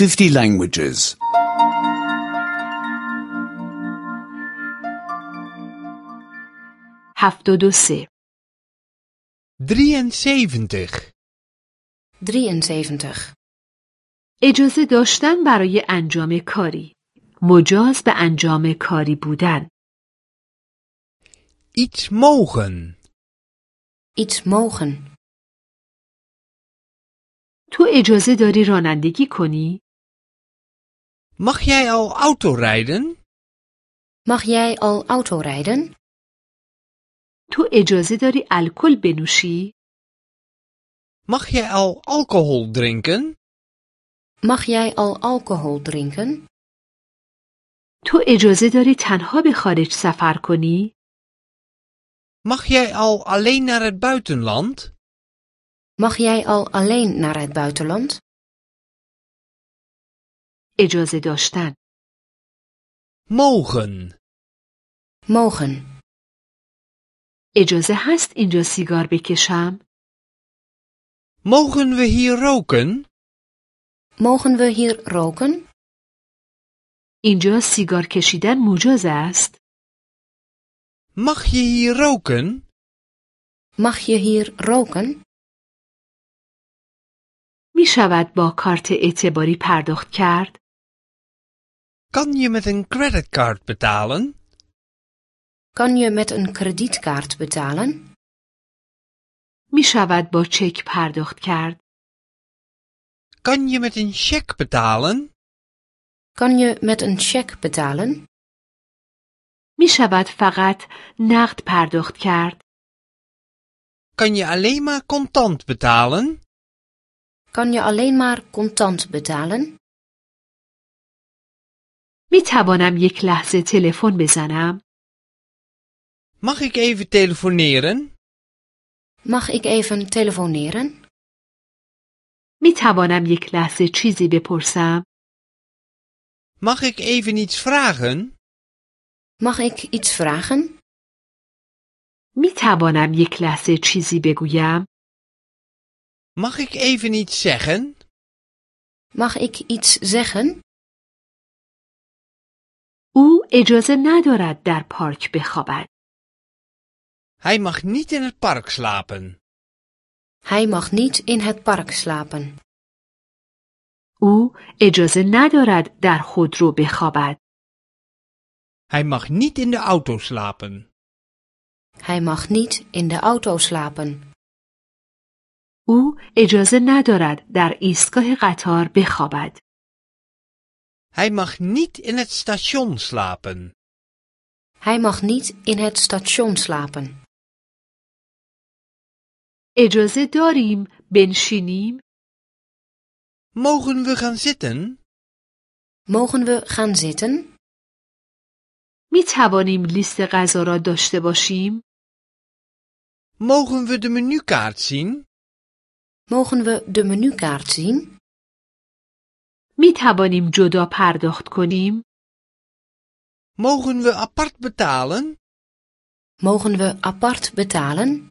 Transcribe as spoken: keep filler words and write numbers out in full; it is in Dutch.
fifty languages. هفتاد و سه. drieënzeventig. drieënzeventig. اجازه داشتن برای انجام کاری. مجاز به انجام کاری بودن. Iets mogen. Iets mogen. تو اجازه داری رانندگی کنی؟ Mag jij al auto rijden? Mag jij al auto rijden? تو اجازه داری الکل بنوشی؟ Mag jij al alcohol drinken? Mag jij al alcohol drinken? تو اجازه داری تنها به خارج سفر کنی؟ Mag jij al alleen naar het buitenland? Mag jij al alleen naar het buitenland? اجازه داشتن. Mogen. Mogen. اجازه هست اینجا سیگار بکشم؟ Mogen we hier roken? Mogen we hier roken? اینجا سیگار کشیدن مجاز است؟ Mag je hier roken? Mag je hier roken? می شود با کارت اعتباری پرداخت کرد؟ Kan je met een creditcard betalen? Kan je met een kredietkaart betalen? می شود با چک پرداخت کرد؟ Kan je met een cheque betalen? Kan je met een cheque betalen? می شود فقط نقد پرداخت کرد؟ Kan je alleen maar contant betalen? Kan je alleen maar contant betalen? می توانم یک لحظه تلفن بزنم؟ Mag ik even telefoneren? Mag ik even telefoneren? می توانم یک لحظه چیزی بپرسم؟ Mag ik even iets vragen? Mag ik iets vragen? می توانم یک لحظه چیزی بگویم؟ Mag ik even iets zeggen? Mag ik iets zeggen? او اجازه ندارد در پارک بخوابد. Hij mag niet in het park slapen. Hij mag niet in het park slapen. او اجازه ندارد در خودرو بخوابد. Hij mag niet in de auto slapen. Hij mag niet in de auto slapen. او اجازه ندارد در ایستگاه قطار بخوابد. Hij mag niet in het station slapen. Hij mag niet in het station slapen. اجازه داریم بنشینیم؟ Mogen we gaan zitten? Mogen we gaan zitten? می توانیم لیست غذا را داشته باشیم؟ Mogen we de menukaart zien? Mogen we de menukaart zien? می توانیم جدا پرداخت کنیم؟ Mogen we apart betalen? Mogen we apart betalen?